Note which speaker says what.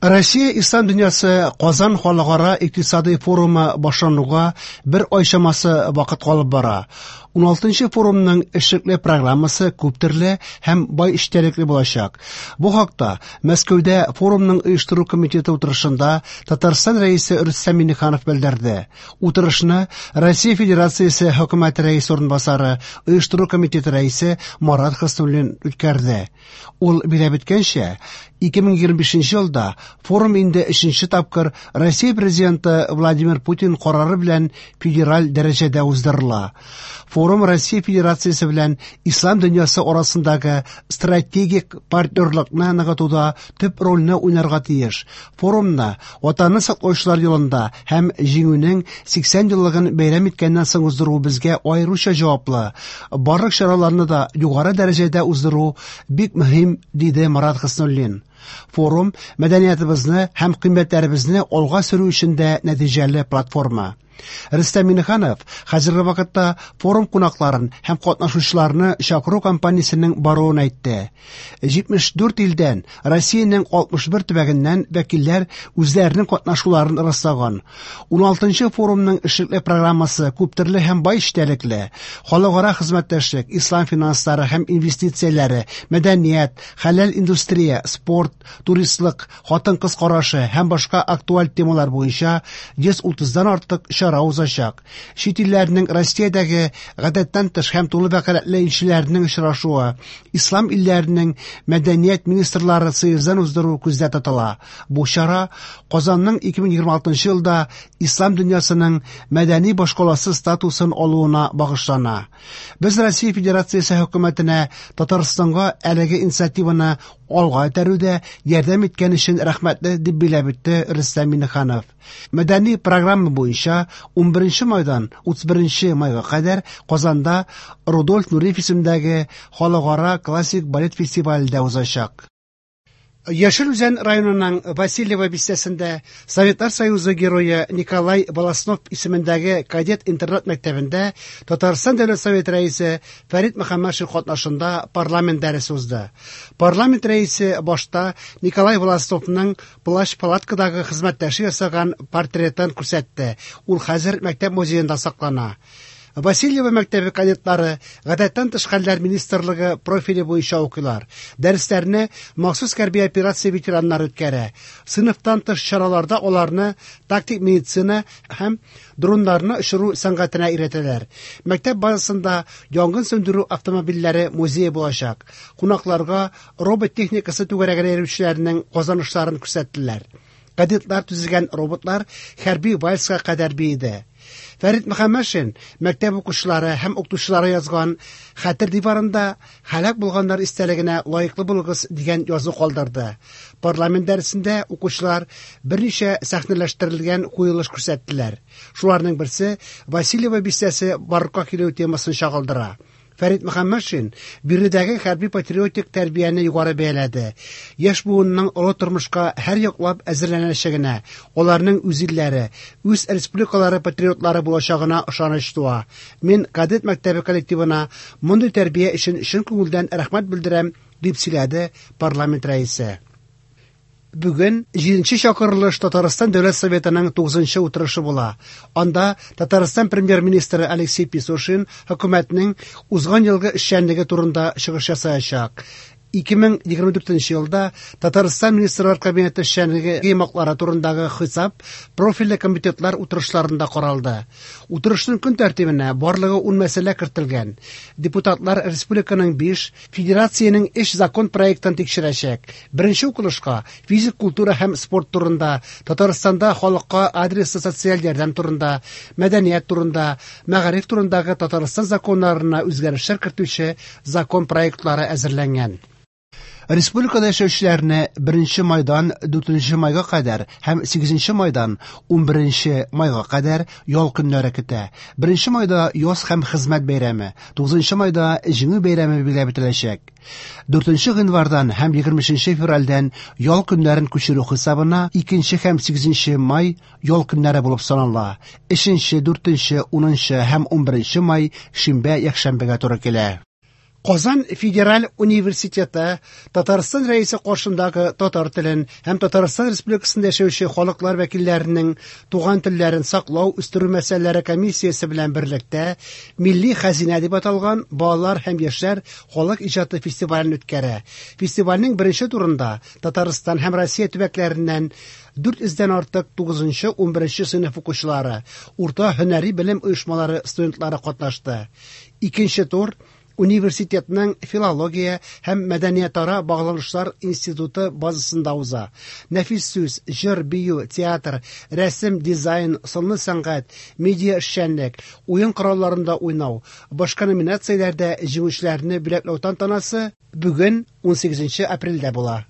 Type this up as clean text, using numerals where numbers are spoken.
Speaker 1: Россия Ислам дөньясы Казан халыкара икътисадый форумы башлануга бер ай чамасы вакыт калып бара. 16 форумның эшлекле программасы күптөрле һәм бай эчтәлекле булачак. Бу хакта Мәскәүдә форумның оештыру комитеты утырышында Татарстан Рәисе Рөстәм Миңнеханов белдерде. Утырышны Россия Федерациясе Хөкүмәте рәисе урынбасары, оештыру комитеты рәисе Марат Хөснуллин үткәрде. Ул билгеләп үткәнчә, 2025 елда форум инде өченче тапкыр Россия Президенты Владимир Путин карары белән федераль дәрәҗәдә уздырыла. Форум Россия Федерациясе белән Ислам дөньясы арасындагы стратегик партнерлыкны ныгытуда төп рольне уйнарга тиеш. Форумны Ватанны саклаучылар елында һәм Җиңүнең 80 еллыгын бәйрәм иткәннән соң уздыру безгә аеруча җаваплы. Барлык чараларны да югары дәрәҗәдә уздыру бик мөһим, диде Марат Хөснуллин. Форум мәдәниятыбызны һәм кыйммәтләребезне алга сөрү өчен дә нәтиҗәле платформа. Рөстәм Миңнеханов хәзерге вакытта форум кунакларын һәм катнашучыларны чакыру кампаниясенең баруын әйтте. 74 илдән, Россиянең 61 төбәгеннән вәкилләр үзләренең катнашуларын раслаган. 16 форумның эшлекле программасы күптөрле һәм бай эчтәлекле. Халыкара хезмәттәшлек, ислам финанслары һәм инвестицияләре, мәдәният, хәләл индустрия, спорт, туристлык, хатын-кыз карашы һәм башка актуаль темалар буенча 130-дан артык чара узачак. Чит илләрнең Россиядәге гадәттән тыш һәм тулы вәкаләтле илчеләренең очрашуы, ислам илләренең мәдәният министрлары съездын уздыру күздә тотыла. Бу чара Казанның 2026 елда ислам дөньясының мәдәни башкаласы статусын алуына багышлана. Без Россия Федерациясе хөкүмәтенә Татарстанга әлеге инициативаны алга этәрүдә ярдәм иткән өчен рәхмәтле, дип билгеләп үтте Рөстәм Миңнеханов. Мәдәни программа буенча 11 майдан 31 майга кадәр Казанда Рудольф Нуриев исемендәге халыкара классик балет фестивале дә узачак. Яшел Үзән районының Васильево бистәсендә Советлар Союзы герое Николай Волостнов исемендәге кадет интернат мәктәбендә Татарстан Дәүләт Советы рәисе Фәрит Мөхәммәтшин катнашында парламент дәресе узды. Парламент рәисе башта Николай Волостновның плащ-палаткадагы хезмәттәше ясаган портретын күрсәтте. Ул хәзер мәктәп музеенда саклана. Васильево мәктәбе кадетлары гадәттән тыш хәлләр министрлыгы профиле буенча укыйлар. Дәресләрне махсус хәрби операция ветераннары үткәрә. Сыйныфтан тыш чараларда аларны тактик медицина һәм дроннарны очыру сәнгатенә өйрәтәләр. Мәктәп базасында янгын сүндерү автомобильләре музее булачак. Кунакларга робот техникасы түгәрәгенә йөрүчеләрнең казанышларын күрсәттеләр. Кадетлар төзегән роботлар хәрби вальска кадәр биеде. Фәрит Мөхәммәтшин мәктәп укучылары һәм укытучылары язган хәтер диварында һәлак булганнар истәлегенә лаеклы булыгыз дигән язу калдырды. Парламент дәресендә укучылар берничә сәхнәләштерелгән куелыш күрсәттеләр. Шуларның берсе Васильево бистәсе барлыкка килү темасын чагылдыра. Фәрит Мөхәммәтшин биредәге хәрби патриотик тәрбияне югары бәяләде. Яшь буынның олы тормышка һәр яклап әзерләнәчәгенә, аларның үз илләре, үз республикалары патриотлары булачагына ышаныч туа. Мин кадет мәктәбе коллективына мондый тәрбия өчен чын күңелдән рәхмәт белдерәм, дип сөйләде парламент рәисе. Бүген 7 чакырылыш Татарстан Дәүләт Советының 9 утырышы була. Анда Татарстан премьер-министры Алексей Песошин хөкүмәтнең узган елгы эшчәнлеге турында чыгыш ясаячак. 2024 елда Татарстан Министрлар Кабинеты эшчәнлеге йомгаклары турындагы хисап профильле комитетлар утырышларында каралды. Утырышның көн тәртибенә барлыгы 10 мәсьәлә кертелгән. Депутатлар республиканың 5, федерациянең 3 закон проектын тикшерәчәк. Беренче укылышка физик культура һәм спорт турында, Татарстанда халыкка адреслы социаль ярдәм турында, мәдәният турында, мәгариф турындагы Татарстан законнарына үзгәрешләр кертүче закон проектлары әзерләнгән. Республикада яшәүчеләрне 1 майдан 4 майга кадәр һәм 8 майдан 11 майга кадәр ял көннәре көтә. 1 майда яз һәм хезмәт бәйрәме, 9 майда Җиңү бәйрәме билгеләп үтеләчәк. 4 гыйнвардан һәм 23 февральдән ял көннәрен күчерү хисабына 2 һәм 8 май ял көннәре булып санала. 3, 4, 10 һәм 11 май шимбә, якшәмбегә туры килә. Казан федераль университеты Татарстан Рәисе каршындагы татар телен һәм Татарстан Республикасында яшәүче халыклар вәкилләренең туган телләрен саклау, үстерү мәсьәләләре комиссиясе белән берлектә Милли хәзинә дип аталган балалар һәм яшьләр халык иҗаты фестивален үткәрә. Фестивальнең беренче турында Татарстан һәм Россия төбәкләреннән 400 дән артык 9-11 сыйныф укучылары, урта һөнәри белем оешмалары студентлары катнашты. Икенче тур университетның филология һәм мәдәниятара багланышлар институты базасында уза. Нәфис сүз, җыр, бию, театр, рәсем, дизайн, сынлы сәнгать, медиа эшчәнлек, уен коралларында уйнау, башка номинацияләрдә җиңүчеләрне бүләкләү тантанасы бүген 18 апрельдә була.